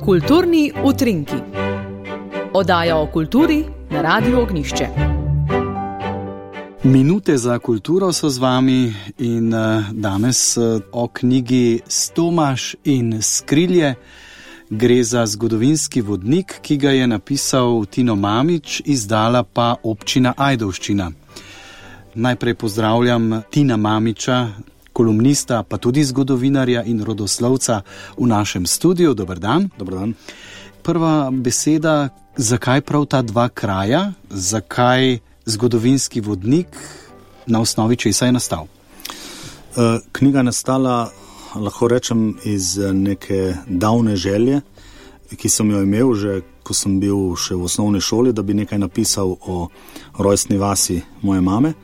Kulturni utrinki. Oddaja o kulturi na Radiu Ognjišče. Minute za kulturo so z vami in danes o knjigi Stomaž in skrilje. Gre za zgodovinski vodnik, ki ga je napisal Tino Mamić, izdala pa občina Ajdovščina. Najprej pozdravljam Tina Mamića, kolumnista, pa tudi zgodovinarja in rodoslovca v našem studiu. Dober dan. Dober dan. Prva beseda, zakaj prav ta dva kraja, zakaj zgodovinski vodnik, na osnovi česa je nastal? Knjiga je nastala, lahko rečem, iz neke davne želje, ki sem jo imel že, ko sem bil še v osnovni šoli, da bi nekaj napisal o rojstni vasi moje mame,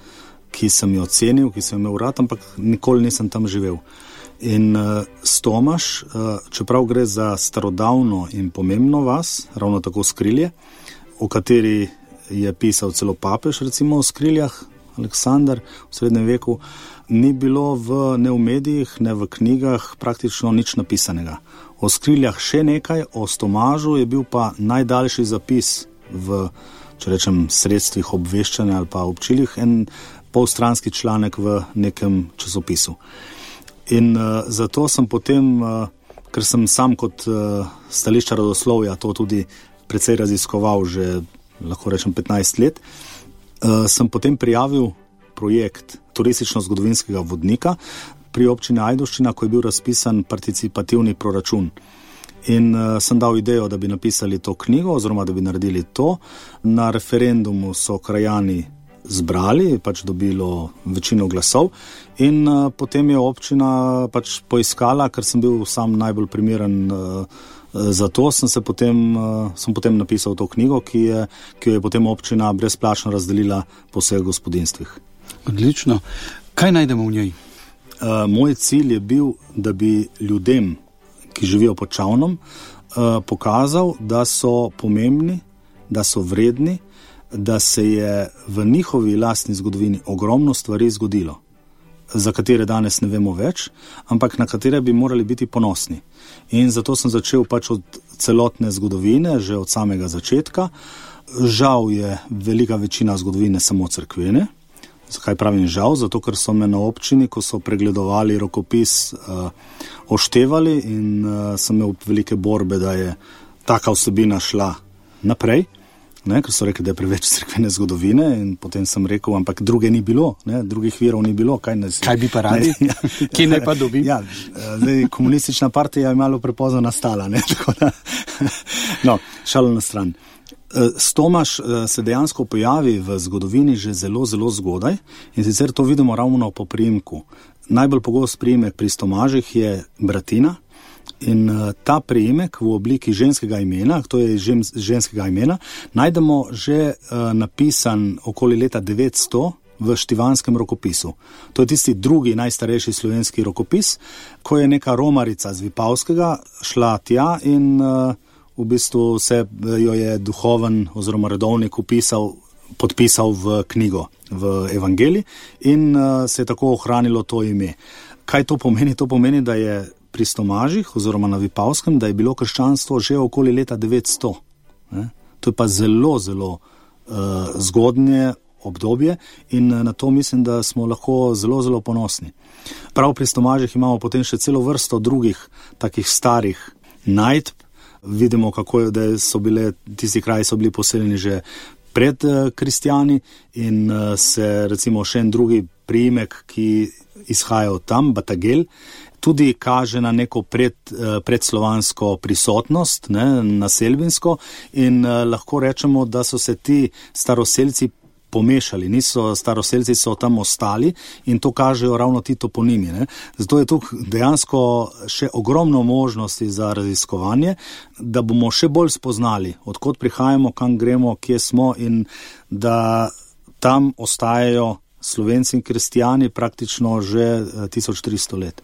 ki sem jo cenil, ki sem imel rad, ampak nikoli nisem tam živel. In Stomaž, čeprav gre za starodavno in pomembno vas, ravno tako skrilje, o kateri je pisal celo papež, recimo o skriljah, Aleksandar v srednjem veku, ni bilo ne v medijih, ne v knjigah praktično nič napisanega. O skriljah še nekaj, o Stomažu je bil pa najdaljši zapis v, če rečem, sredstvih obveščanja ali pa občilih, en polstranski članek v nekem časopisu. In zato sem potem, ker sem sam kot stališča rodoslovja to tudi precej raziskoval že, lahko rečem, 15 let, sem potem prijavil projekt turistično-zgodovinskega vodnika pri občini Ajdovščina, ko je bil razpisan participativni proračun. In sem dal idejo, da bi napisali to knjigo oziroma da bi naredili to. Na referendumu so krajani zbrali, pač dobilo večino glasov in potem je občina pač poiskala, ker sem bil sam najbolj primeren za to, sem potem napisal to knjigo, ki jo je potem občina brezplačno razdelila po vseh gospodinstvih. Odlično. Kaj najdemo v njej? Moj cilj je bil, da bi ljudem, ki živijo pod Čavnom, pokazal, da so pomembni, da so vredni, da se je v njihovi lastni zgodovini ogromno stvari zgodilo, za katere danes ne vemo več, ampak na katere bi morali biti ponosni. In zato sem začel pač od celotne zgodovine, že od samega začetka. Žal je velika večina zgodovine samo cerkvene. Zakaj pravim žal? Zato, ker so me na občini, ko so pregledovali rokopis, oštevali in sem imel velike borbe, da je taka vsebina šla naprej. Ker so rekli, da je preveč cerkvene zgodovine in potem sem rekel, ampak druge ni bilo, drugih virov ni bilo. Kaj bi pa radi? Kje naj pa dobim? Ja, komunistična partija je malo prepozno nastala, tako da, šalo na stran. Stomaž se dejansko pojavi v zgodovini že zelo, zelo zgodaj in sicer to vidimo ravno po priimku. Najbolj pogost priimek pri Stomažih je Bratina. In ta priimek v obliki ženskega imena, to je ženskega imena, najdemo že napisan okoli leta 900 v Štivanskem rokopisu. To je tisti drugi najstarejši slovenski rokopis, ko je neka romarica z Vipavskega šla tja in v bistvu se jo je duhoven oziroma redovnik podpisal v knjigo, v evangelij in se je tako ohranilo to ime. Kaj to pomeni? To pomeni, da je pri Stomažih oziroma na Vipavskem, da je bilo krščanstvo že okoli leta 900. To je pa zelo, zelo zgodnje obdobje in na to mislim, da smo lahko zelo, zelo ponosni. Prav pri Stomažih imamo potem še celo vrsto drugih takih starih najdb. Vidimo, kako da tisti kraji so bili poseljeni že pred kristjani in se recimo še en drugi priimek, ki izhaja od tam, Batagel, tudi kaže na neko predslovansko prisotnost, naselbinsko in lahko rečemo, da so se ti staroselci pomešali, staroselci so tam ostali in to kažejo ravno ti toponimi. Zato je tukaj dejansko še ogromno možnosti za raziskovanje, da bomo še bolj spoznali, odkot prihajamo, kam gremo, kje smo in da tam ostajajo Slovenci in kristijani praktično že 1300 let.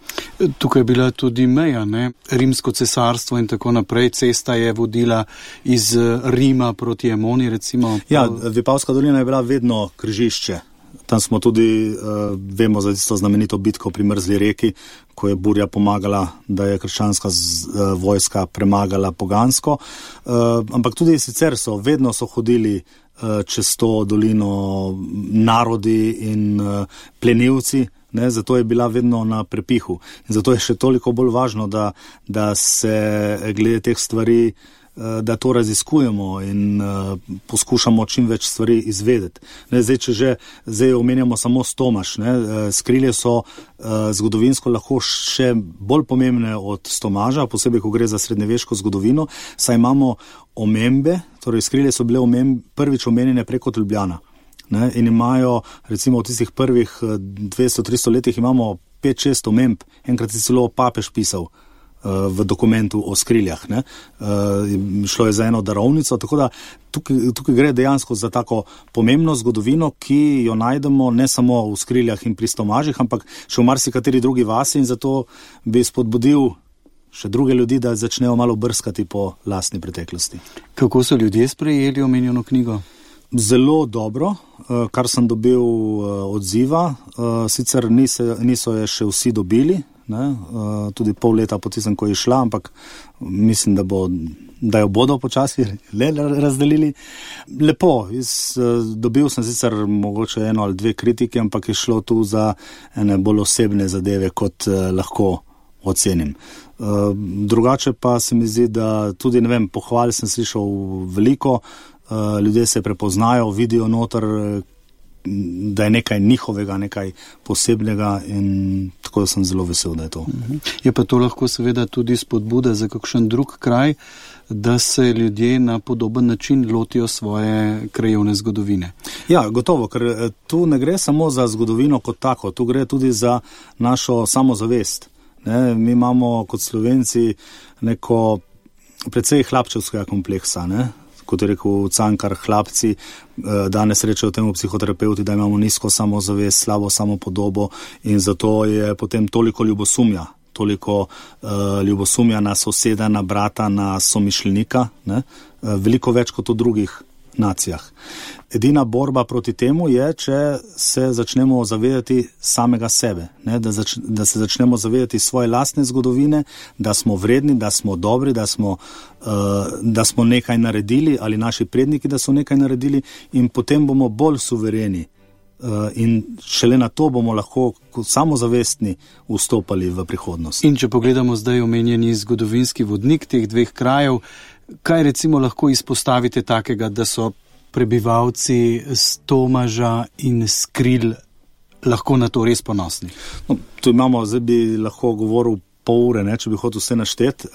Tukaj je bila tudi meja, Rimsko cesarstvo in tako naprej. Cesta je vodila iz Rima proti Emoni, recimo. Ja, Vipavska dolina je bila vedno križišče Tam smo tudi, vemo za tisto znamenito bitko pri Mrzli reki, ko je burja pomagala, da je krščanska vojska premagala pogansko. Ampak tudi sicer vedno so hodili čez to dolino narodi in plenilci, ne, zato je bila vedno na prepihu. In zato je še toliko bolj važno, da se glede teh stvari, da to raziskujemo in poskušamo čim več stvari izvedeti. Ne, zdaj omenjamo samo Stomaž. Skrilje so zgodovinsko lahko še bolj pomembne od Stomaža, posebej, ko gre za srednjeveško zgodovino, saj imamo omembe, torej Skrilje so bile prvič omenjene preko Ljubljana. Ne, in imajo, recimo v tistih prvih 200-300 letih imamo 5-6 omemb, enkrat je celo papež pisal v dokumentu o Skriljah. Ne. Šlo je za eno darovnico, tako da tukaj gre dejansko za tako pomembno zgodovino, ki jo najdemo ne samo v Skriljah in pri Stomažih, ampak še v marsikateri drugi vasi, in zato bi spodbudil še druge ljudi, da začnejo malo brskati po lastni preteklosti. Kako so ljudje sprejeli omenjeno knjigo? Zelo dobro, kar sem dobil odziva, sicer niso je še vsi dobili, ne, tudi pol leta po tistem, ko je šla, ampak mislim, da jo bodo počasi razdelili. Lepo, dobil sem sicer mogoče 1 ali 2 kritike, ampak je šlo tu za ene bolj osebne zadeve, kot lahko ocenim. Drugače pa se mi zdi, da tudi, ne vem, pohval sem slišal veliko, ljudje se prepoznajo, vidijo noter, da je nekaj njihovega, nekaj posebnega, in tako sem zelo vesel, da je to. Je pa to lahko seveda tudi spodbuda za kakšen drug kraj, da se ljudje na podoben način lotijo svoje krajevne zgodovine. Ja, gotovo, ker tu ne gre samo za zgodovino kot tako, tu gre tudi za našo samozavest. Ne, mi imamo kot Slovenci neko precej hlapčevskega kompleksa, ne? Kot je rekel Cankar, hlapci danes rečejo temu psihoterapeuti, da imamo nizko samozavest, slabo samopodobo, in zato je potem toliko ljubosumja, na soseda, na brata, na somišljenika, ne? Veliko več kot v drugih nacijah. Edina borba proti temu je, če se začnemo zavedati samega sebe, ne? Da se začnemo zavedati svoje lastne zgodovine, da smo vredni, da smo dobri, da smo nekaj naredili, ali naši predniki, da so nekaj naredili, in potem bomo bolj suvereni. In šele na to bomo lahko samozavestni vstopali v prihodnost. In če pogledamo zdaj omenjeni zgodovinski vodnik teh 2 krajev, kaj recimo lahko izpostavite takega, da so prebivalci Stomaža in Skrilj lahko na to res ponosni? No, tu imamo, zdaj bi lahko govoril pol ure, ne, če bi hotel vse našteti,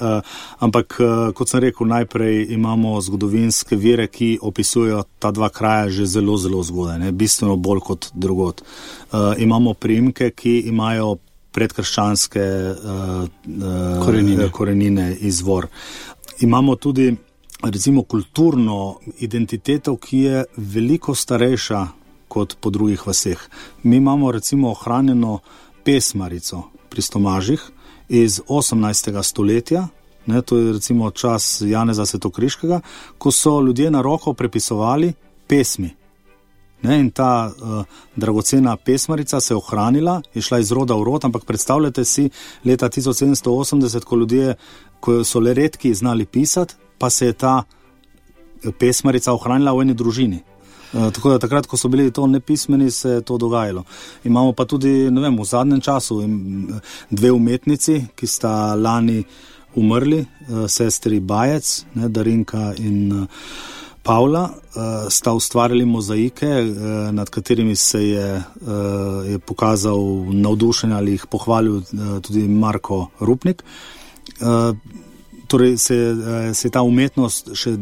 ampak kot sem rekel, najprej imamo zgodovinske vire, ki opisujejo ta 2 kraja že zelo, zelo zgodaj, ne, bistveno bolj kot drugod. Imamo priimke, ki imajo predkrščanske korenine, izvor. Imamo tudi, recimo, kulturno identiteto, ki je veliko starejša kot po drugih vaseh. Mi imamo, recimo, ohranjeno pesmarico pri Stomažih iz 18. stoletja, ne, to je recimo čas Janeza Svetokriškega, ko so ljudje na roko prepisovali pesmi. Ne, in ta dragocena pesmarica se je ohranila, je šla iz roda v rod, ampak predstavljate si leta 1780, ko so le redki znali pisati, pa se je ta pesmarica ohranila v eni družini. Tako da takrat, ko so bili to nepismeni, se je to dogajalo. Imamo pa tudi, ne vem, v zadnjem času 2 umetnici, ki sta lani umrli, sestri Bajec, ne, Darinka in Pavla, sta ustvarjali mozaike, nad katerimi se je pokazal navdušenje ali jih pohvalil tudi Marko Rupnik. Torej se je ta umetnost še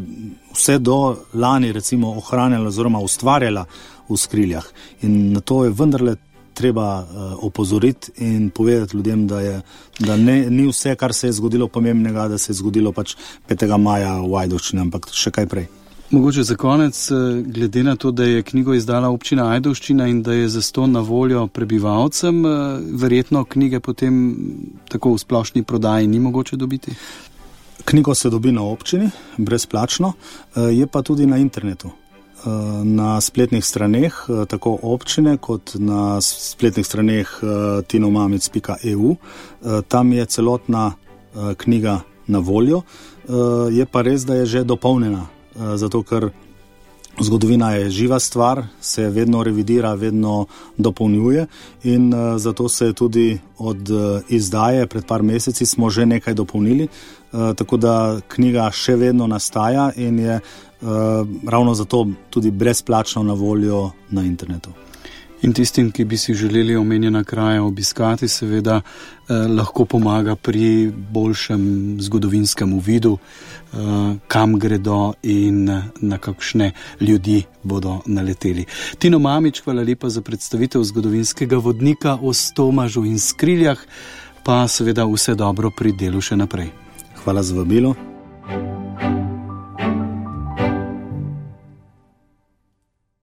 vse do lani recimo ohranjala oziroma ustvarjala v Skriljah. In na to je vendarle treba opozoriti in povedati ljudem, da ni vse, kar se je zgodilo pomembnega, da se je zgodilo pač 5. maja v Ajdovščini, ampak še kaj prej. Mogoče za konec, glede na to, da je knjigo izdala občina Ajdovščina in da je zastonj na voljo prebivalcem, verjetno knjige potem tako v splošni prodaji ni mogoče dobiti? Knjigo se dobi na občini, brezplačno, je pa tudi na internetu. na spletnih straneh, tako občine kot na spletnih straneh tinomamic.eu. Tam je celotna knjiga na voljo. Je pa res, da je že dopolnjena, zato ker zgodovina je živa stvar, se vedno revidira, vedno dopolnjuje in zato se je tudi od izdaje pred par meseci smo že nekaj dopolnili, tako da knjiga še vedno nastaja in je ravno zato tudi brezplačno na voljo na internetu. In tistim, ki bi si želeli omenjena kraja obiskati, seveda lahko pomaga pri boljšem zgodovinskem uvidu, kam gredo in na kakšne ljudi bodo naleteli. Tino Mamić, hvala lepa za predstavitev zgodovinskega vodnika o Stomažu in Skriljah, pa seveda vse dobro pri delu še naprej. Hvala za vabilo.